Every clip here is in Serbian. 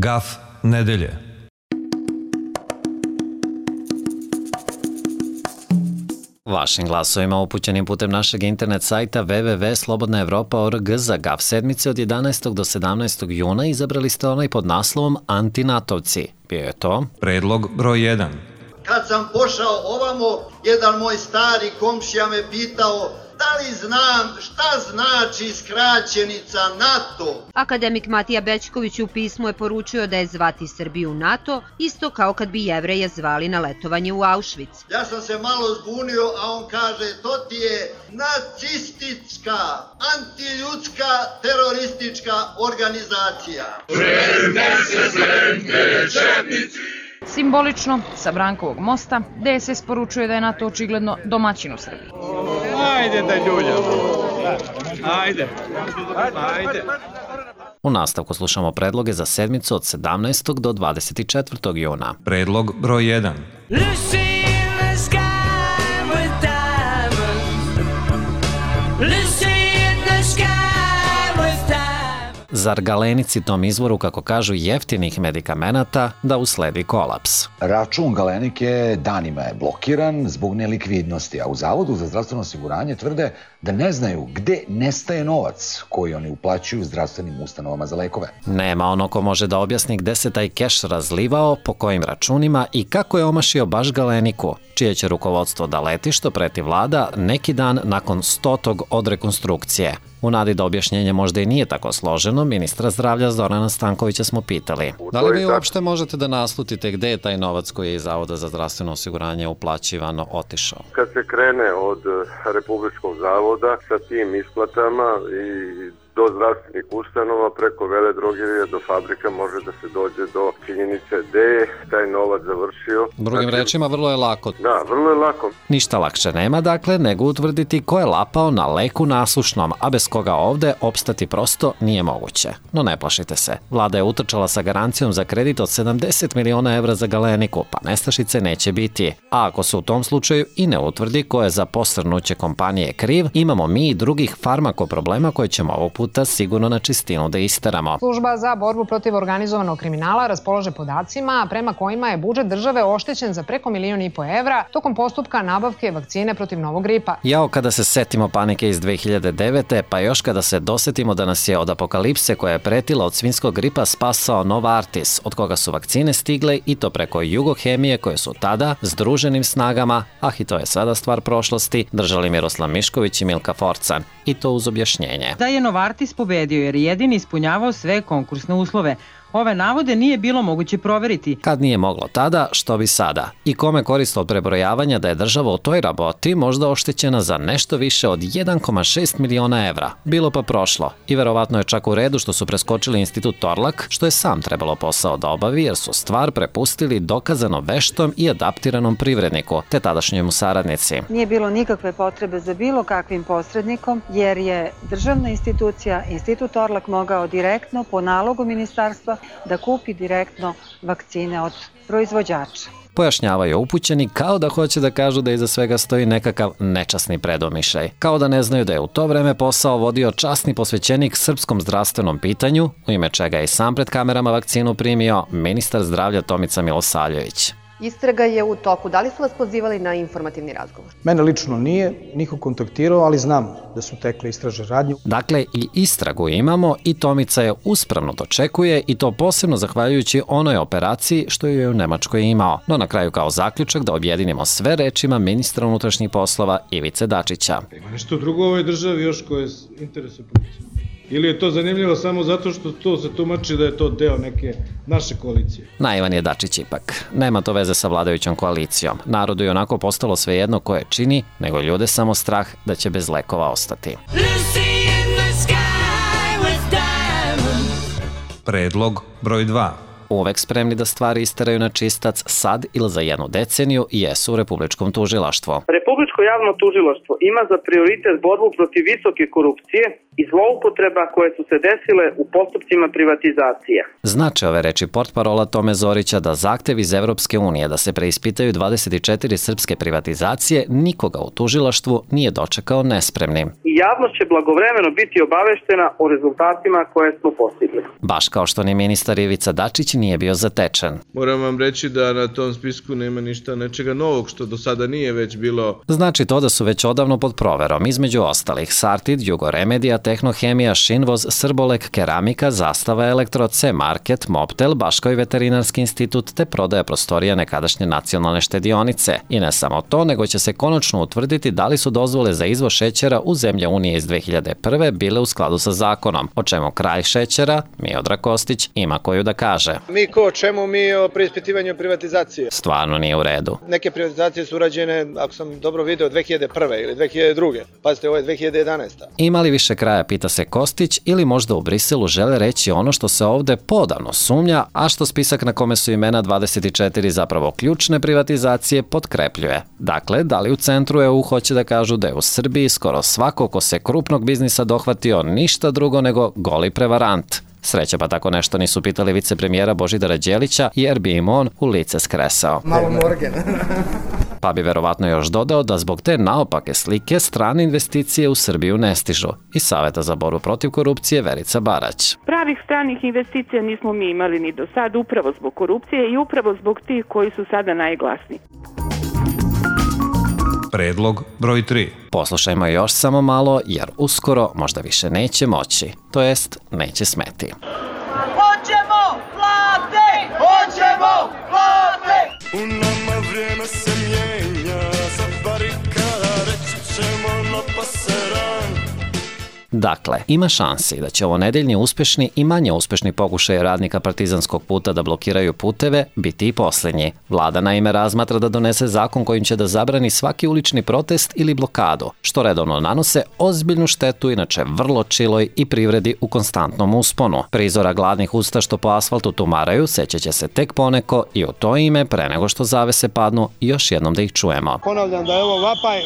Gaf nedelje. Vašim glasovima upućenim putem našeg internet sajta www.slobodnaevropa.org za GAF sedmice od 11. do 17. juna izabrali ste onaj pod naslovom Antinatovci. Bio je to Predlog broj 1. Kad sam pošao ovamo, jedan moj stari komšija me pitao da li znam šta znači skraćenica NATO. Akademik Matija Bećković u pismu je poručio da je zvati Srbiju NATO isto kao kad bi Jevreje zvali na letovanje u Auschwitz. Ja sam se malo zbunio, a on kaže to ti je nacistička, antiljudska, teroristička organizacija. Simbolično, sa Brankovog mosta, DSS poručuje da je NATO očigledno domaćin u Srbiji. Ajde da ljuljamo. Ajde. U nastavku slušamo predloge za sedmicu od 17. do 24. juna. Predlog broj 1. Zar Galenici tom izvoru, kako kažu, jeftinih medikamenata da usledi kolaps? Račun Galenike danima je blokiran zbog nelikvidnosti, a u Zavodu za zdravstveno osiguranje tvrde da ne znaju gde nestaje novac koji oni uplaćuju zdravstvenim ustanovama za lekove. Nema ono ko može da objasni gde se taj keš razlivao, po kojim računima i kako je omašio baš Galeniku, čije će rukovodstvo da leti, što preti vlada neki dan nakon 100. od rekonstrukcije. U nadi da objašnjenje možda i nije tako složeno, ministra zdravlja Zorana Stankovića smo pitali. Da li vi uopšte možete da naslutite gde je taj novac koji je iz Zavoda za zdravstveno osiguranje uplaćivano otišao? Kad se krene od Republičkog zavoda sa tim isplatama i do zdravstvenih ustanova, preko veledrogerija do fabrika može da se dođe do činjenice gde je taj novac završio. Drugim rečima, vrlo je lako. Da, vrlo je lako. Ništa lakše nema, dakle, nego utvrditi ko je lapao na leku nasušnom, a bez koga ovde opstati prosto nije moguće. No ne plašite se, vlada je utrčala sa garancijom za kredit od 70 miliona evra za Galeniku, pa nestašice neće biti. A ako se u tom slučaju i ne utvrdi ko je za posrnuće kompanije kriv, imamo mi i drugih farmako problema koje ćemo ovog puta sigurno na čistinu da isteramo. Služba za borbu protiv organizovanog kriminala raspolaže podacima prema kojima je budžet države oštećen za preko 1,5 miliona evra tokom postupka nabavke vakcine protiv novog gripa. Jao kada se setimo panike iz 2009. pa još kada se dosetimo da nas je od apokalipse koja je pretila od svinjskog gripa spasao Novartis, od koga su vakcine stigle i to preko Jugohemije koje su tada združenim snagama, i to je sada stvar prošlosti, držali Miroslav Mišković i Milka Forcan. I to uz objašnjenje. Da je Novartis pobedio jer jedini ispunjavao sve konkursne uslove. Ove navode nije bilo moguće proveriti. Kad nije moglo tada, što bi sada? I kome korist od prebrojavanja da je država u toj raboti možda oštećena za nešto više od 1,6 miliona evra? Bilo pa prošlo. I verovatno je čak u redu što su preskočili institut Torlak, što je sam trebalo posao da obavi jer su stvar prepustili dokazano veštom i adaptiranom privredniku, te tadašnjemu saradnici. Nije bilo nikakve potrebe za bilo kakvim posrednikom, jer je državna institucija, institut Torlak, mogao direktno po nalogu ministarstva da kupi direktno vakcine od proizvođača. Pojašnjavaju upućeni kao da hoće da kažu da iza svega stoji nekakav nečasni predomišljaj. Kao da ne znaju da je u to vreme posao vodio časni posvećenik srpskom zdravstvenom pitanju, u ime čega je i sam pred kamerama vakcinu primio ministar zdravlja Tomica Milosavljević. Istraga je u toku. Da li su vas pozivali na informativni razgovor? Mene lično nije, niko kontaktirao, ali znam da su tekle istražne radnje. Dakle, i istragu imamo i Tomica je uspravno dočekuje i to posebno zahvaljujući onoj operaciji što je u Nemačkoj imao. No na kraju kao zaključak da objedinimo sve rečima ministra unutrašnjih poslova Ivice Dačića. Ima nešto drugo u ovoj državi još koje interesuje policiju? Ili je to zanimljivo samo zato što to se tumači da je to deo neke naše koalicije? Naivan je Dačić ipak. Nema to veze sa vladajućom koalicijom. Narodu je onako postalo svejedno ko je čini, nego ljude samo strah da će bez lekova ostati. Predlog broj 2. Uvek spremni da stvari isteraju na čistac sad ili za 1 deceniju jesu u Republičkom tužilaštvu. Republičko javno tužilaštvo ima za prioritet borbu protiv visoke korupcije i zloupotreba koje su se desile u postupcima privatizacije. Znače ove reči portparola Tome Zorića da zahtev iz Evropske unije da se preispitaju 24 srpske privatizacije nikoga u tužilaštvu nije dočekao nespremnim. i javnost će blagovremeno biti obaveštena o rezultatima koje smo postigli. Baš kao što ni ministar Ivica Dačić nije bio zatečen. Moram vam reći da na tom spisku nema ništa nečega novog što do sada nije već bilo. Znači to da su već odavno pod proverom, između ostalih Sartid, Jugoremedija, Tehnohemija, Šinvoz, Srbolek, Keramika, Zastava Elektro, C-Market, Mobtel, Baškoj veterinarski institut te prodaja prostorija nekadašnje nacionalne štedionice. I ne samo to, nego će se konačno utvrditi da li su dozvole za izvoz šećera u zemlje Unije iz 2001. bile u skladu sa zakonom, o čemu kralj šećera, Miodrag Kostić, ima koju da kaže. Mi ko, čemu mi o preispitivanju privatizacije? Stvarno nije u redu. Neke privatizacije su urađene, ako sam dobro video, 2001. ili 2002. Pazite, ovo je 2011. Ima li više kraja, pita se Kostić, ili možda u Briselu žele reći ono što se ovde podavno sumnja, a što spisak na kome su imena 24 zapravo ključne privatizacije potkrepljuje. Dakle, da li u centru EU hoće da kažu da je u Srbiji skoro svako ko se krupnog biznisa dohvatio ništa drugo nego goli prevarant. Sreća pa tako nešto nisu pitali vicepremijera Božidara Đelića jer bi im on u lice skresao. Malo morgen. Pa bi verovatno još dodao da zbog te naopake slike strane investicije u Srbiju ne stižu. Iz Saveta za borbu protiv korupcije Verica Barać. Pravih stranih investicija nismo mi imali ni do sad, upravo zbog korupcije i upravo zbog tih koji su sada najglasniji. Predlog broj 3. Poslušajmo još samo malo, jer uskoro možda više neće moći, to jest neće smeti. Hoćemo plate! Hoćemo plate! U nama vrijeme se mijenja, za barikada reći ćemo na paseran. Dakle, ima šansi da će ovo nedeljni uspešni i manje uspešni pokušaj radnika Partizanskog puta da blokiraju puteve biti i posljednji. Vlada naime razmatra da donese zakon kojim će da zabrani svaki ulični protest ili blokadu, što redovno nanose ozbiljnu štetu inače vrlo čiloj i privredi u konstantnom usponu. Prizora gladnih usta što po asfaltu tumaraju sećaće se tek poneko i u to ime, pre nego što zavese padnu, još jednom da ih čujemo. Ponavljam da je ovo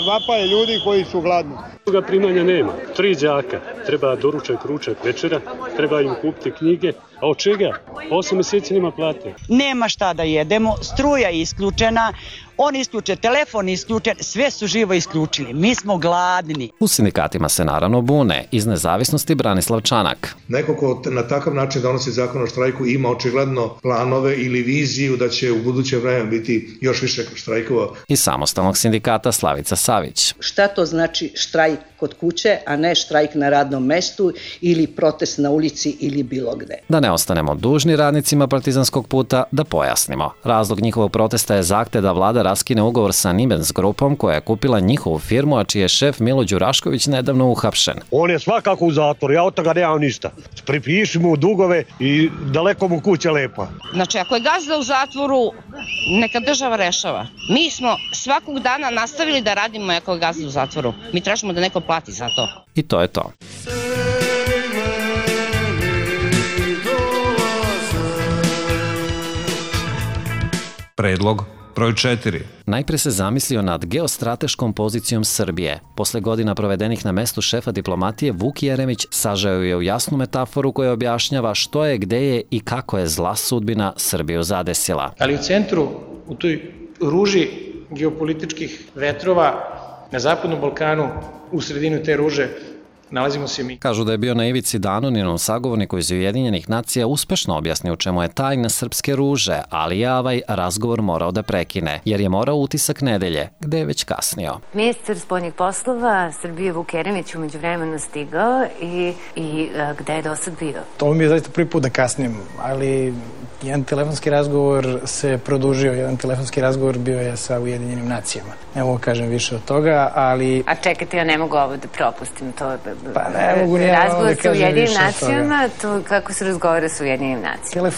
vapaj ljudi koji su gladni. Druga primanja nema, 3 đaka. Treba doručak, ručak, večera, treba im kupiti knjige, a od čega? 8 mjeseci nema plate. Nema šta da jedemo, struja je isključena, on isključe, telefon isključen, sve su živo isključili, mi smo gladni. U sindikatima se naravno bune, iz Nezavisnosti Branislav Čanak. Neko ko na takav način donosi zakon o štrajku ima očigledno planove ili viziju da će u buduće vreme biti još više štrajkova. Iz Samostalnog sindikata Slavica Savić. Šta to znači štrajk kod kuće, a ne štrajk na radnom mestu ili protest na ulici ili bilo gde? Da ne ostanemo dužni radnicima Partizanskog puta, da pojasnimo. Razlog njihovog protesta je zahtev da vlada raskine ugovor sa Nibens grupom koja je kupila njihovu firmu, a čiji je šef Milo Đurašković nedavno uhapšen. On je svakako u zatvoru, ja od toga nemam ništa. Pripiši mu dugove i daleko mu kuća lepa. Znači, ako je gazda u zatvoru, neka država rešava. Mi smo svakog dana nastavili da radimo ako je gazda u zatvoru. Mi tražimo da neko plati za to. I to je to. Predlog broj 4. Najpre se zamislio nad geostrateškom pozicijom Srbije. Posle godina provedenih na mestu šefa diplomatije, Vuk Jeremić sažao je u jasnu metaforu koja objašnjava što je, gde je i kako je zla sudbina Srbiju zadesila. Ali u centru, u toj ruži geopolitičkih vetrova na Zapadnom Balkanu, u sredinu te ruže, nalazimo se mi. Kažu da je bio na ivici da anonimnom sagovorniku iz Ujedinjenih nacija uspešno objasnio u čemu je tajna srpske ruže, ali je ovaj razgovor morao da prekine, jer je morao utisak nedelje, gde je već kasnio. Ministar spoljnih poslova Srbije Vuk Jeremić umeđu vremenu stigao i gde je do sad bio? To mi je zaista prvi put da kasnim, ali jedan telefonski razgovor se produžio, jedan telefonski razgovor bio je sa Ujedinjenim nacijama. Ne mogu kažem više od toga, ali... A čekajte, ja ne mogu ovo da propustim, to pa ne mogu ni ja ovo da kažem više od toga. Razgovor sa Ujedinjenim nacijama, to kako se razgovara sa Ujedinjenim nacijama?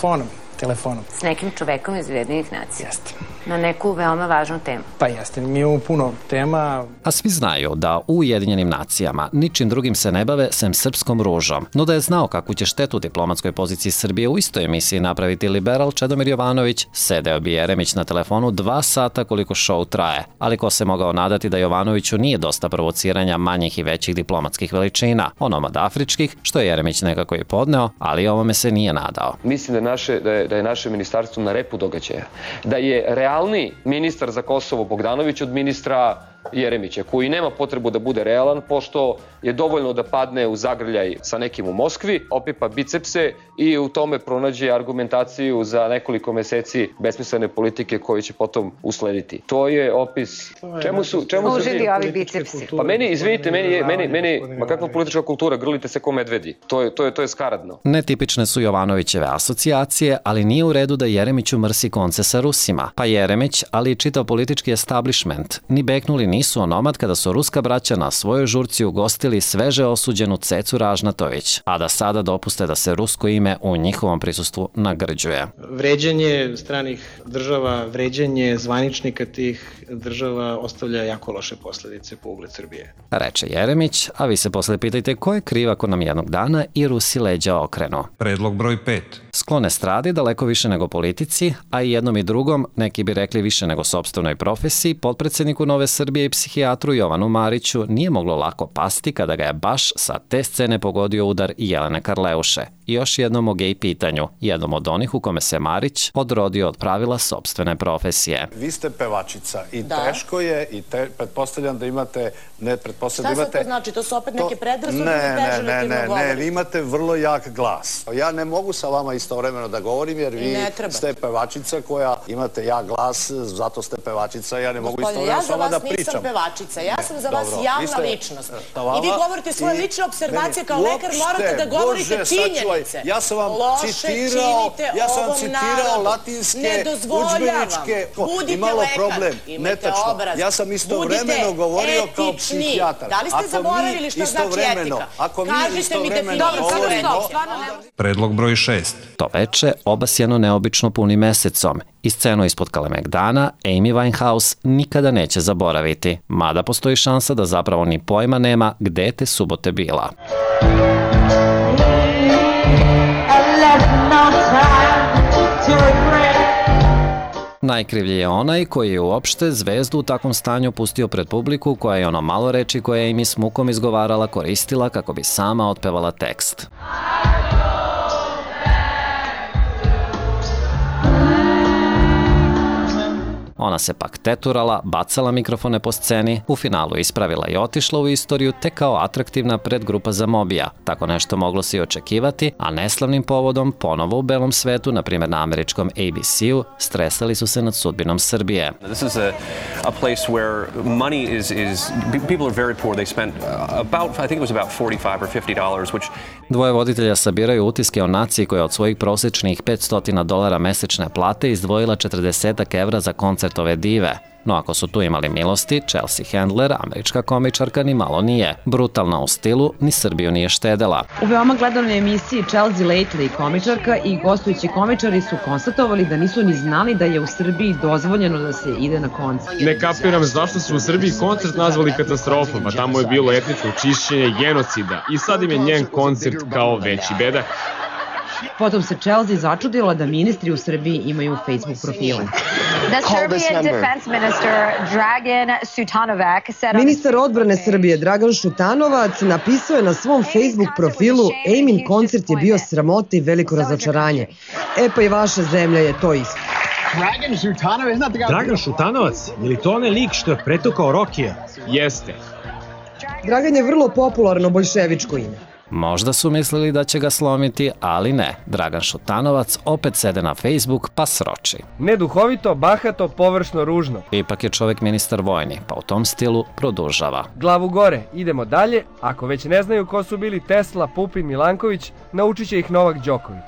Telefonom. S nekim čovekom iz Ujedinjenih nacija? Jeste. Na neku veoma važnu temu. Pa jeste, mi imamo puno tema. A svi znaju da u Ujedinjenim nacijama ničim drugim se ne bave sem srpskom ružom. No da je znao kakvu će štetu diplomatskoj poziciji Srbije u istoj emisiji napraviti liberal Čedomir Jovanović, sedeo bi Jeremić na telefonu 2 sata koliko show traje. Ali ko se mogao nadati da Jovanoviću nije dosta provociranja manjih i većih diplomatskih veličina, onomad afričkih, što je Jeremić nekako i podneo, ali ovome se nije nadao. Mislim da je naše ministarstvo na repu događaja. Da je realni ministar za Kosovo Bogdanović od ministra Jeremića, koji nema potrebu da bude realan, pošto je dovoljno da padne u zagrljaj sa nekim u Moskvi, opipa bicepse i u tome pronađe argumentaciju za nekoliko meseci besmislene politike koje će potom uslediti. To je opis... Čemu su ovi bicepsi? Pa meni, izvinite, ma kakva politička kultura, grlite se ko medvedi. To je skaradno. Netipične su Jovanovićeve asocijacije, ali nije u redu da Jeremiću mrsi konce sa Rusima. Pa Jeremić, ali i čitav politički establishment, ni beknuli nisu onomad kada su ruska braća na svojoj žurci ugostili sveže osuđenu Cecu Ražnatović, a da sada dopuste da se rusko ime u njihovom prisustvu nagrđuje. Vređanje stranih država, vređanje zvaničnika tih država ostavlja jako loše posledice po ugled Srbije. Reče Jeremić, a vi se posle pitajte ko je kriv ako nam jednog dana i Rusi leđa okrenu. Predlog broj 5. Sklone stradi daleko više nego politici, a i jednom i drugom, neki bi rekli više nego sopstvenoj profesiji, potpredsedniku Nove Srbije i psihijatru Jovanu Mariću nije moglo lako pasti kada ga je baš sa te scene pogodio udar i Jelene Karleuše. I još jednom o gej pitanju, jednom od onih u kome se Marić odrodio od pravila sopstvene profesije. Vi ste pevačica i teško je i pretpostavljam da imate... Šta sad to znači? To su opet neke predrasude ili pežurativno govorite? Ne, vi imate vrlo jak glas. Ja ne mogu sa vama istovremeno da govorim jer vi ste pevačica koja imate jak glas, zato ste pevačica, ja ne mogu istovremeno s vama da pričam. Ja za vas nisam pevačica, ja sam za vas javna ličnost. I vi govorite svoje lične observacije, kao lekar morate da govorite činjenice. Ja sam vam citirao latinske, udžbeničke, imalo problem, netačno. Ja sam istovremeno govorio kao psihijatar. Da li ste zaboravili šta znači etika? Kažite mi definiciju. Predlog broj 6. To veče obasjeno neobično punim mesecom i scenu ispod Kalemegdana Amy Winehouse nikada neće zaboraviti, mada postoji šansa da zapravo ni pojma nema gde je te subote bila. Najkrivlji je onaj koji je uopšte zvezdu u takvom stanju pustio pred publiku koja je ono malo reči koje je Amy s mukom izgovarala koristila kako bi sama otpevala tekst. Ona se pak teturala, bacala mikrofone po sceni, u finalu ispravila i otišla u istoriju te kao atraktivna predgrupa za Mobija. Tako nešto moglo se i očekivati, a neslavnim povodom ponovo u belom svetu, na primjer na američkom ABC-u, stresali su se nad sudbinom Srbije. This is a place where money is people are very poor. They spent about, I think it was about $45 or $50, which... Dvoje voditelja sabiraju utiske o naciji koja od svojih prosečnih $500 mesečne plate izdvojila 40 evra za koncert ove dive. No ako su tu imali milosti, Chelsea Handler, američka komičarka, ni malo nije. Brutalna u stilu, ni Srbiju nije štedela. U veoma gledanoj emisiji Chelsea Lately komičarka i gostujući komičari su konstatovali da nisu ni znali da je u Srbiji dozvoljeno da se ide na koncert. Ne kapiram zašto su u Srbiji koncert nazvali katastrofom, a tamo je bilo etničko čišćenje, genocida i sad im je njen koncert kao veći bedak. Potom se Chelsea začudila da ministri u Srbiji imaju Facebook profile. Ministar odbrane Srbije Dragan Šutanovac napisao je na svom Facebook profilu: Amin koncert je bio sramota i veliko razočaranje. E pa i vaša zemlja je to isto. Dragan Šutanovac? Je li to onaj lik što je pretukao Rokija? Jeste. Dragan je vrlo popularno boljševičko ime. Možda su mislili da će ga slomiti, ali ne. Dragan Šutanovac opet sede na Facebook pa sroči. Neduhovito, bahato, površno, ružno. Ipak je čovek ministar vojni, pa u tom stilu produžava. Glavu gore, idemo dalje. Ako već ne znaju ko su bili Tesla, Pupin, Milanković, naučit će ih Novak Đoković.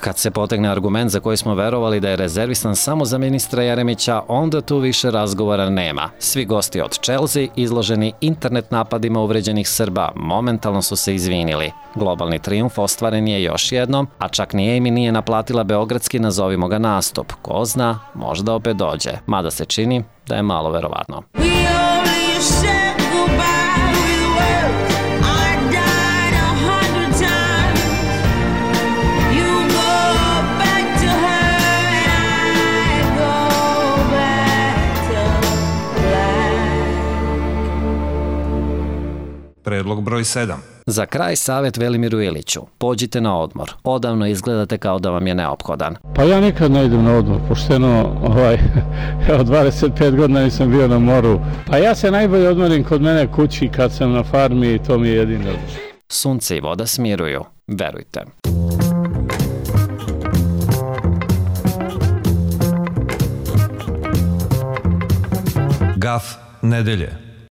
Kad se potegne argument za koji smo verovali da je rezervisan samo za ministra Jeremića, onda tu više razgovora nema. Svi gosti od Chelsea, izloženi internet napadima uvređenih Srba, momentalno su se izvinili. Globalni trijumf ostvaren je još jednom, a čak ni Amy nije naplatila beogradski nazovimo ga nastup. Ko zna, možda opet dođe. Mada se čini da je malo verovatno. Predlog broj 7. Za kraj savjet Velimiru Iliću. Pođite na odmor. Odavno izgledate kao da vam je neophodan. Pa ja nikad ne idem na odmor, pošteno, od 25 godina nisam bio na moru. Pa ja se najbolje odmorim kod mene kući kad sam na farmi i to mi je jedini odmor. Sunce i voda smiruju, verujte. Gaf nedelje.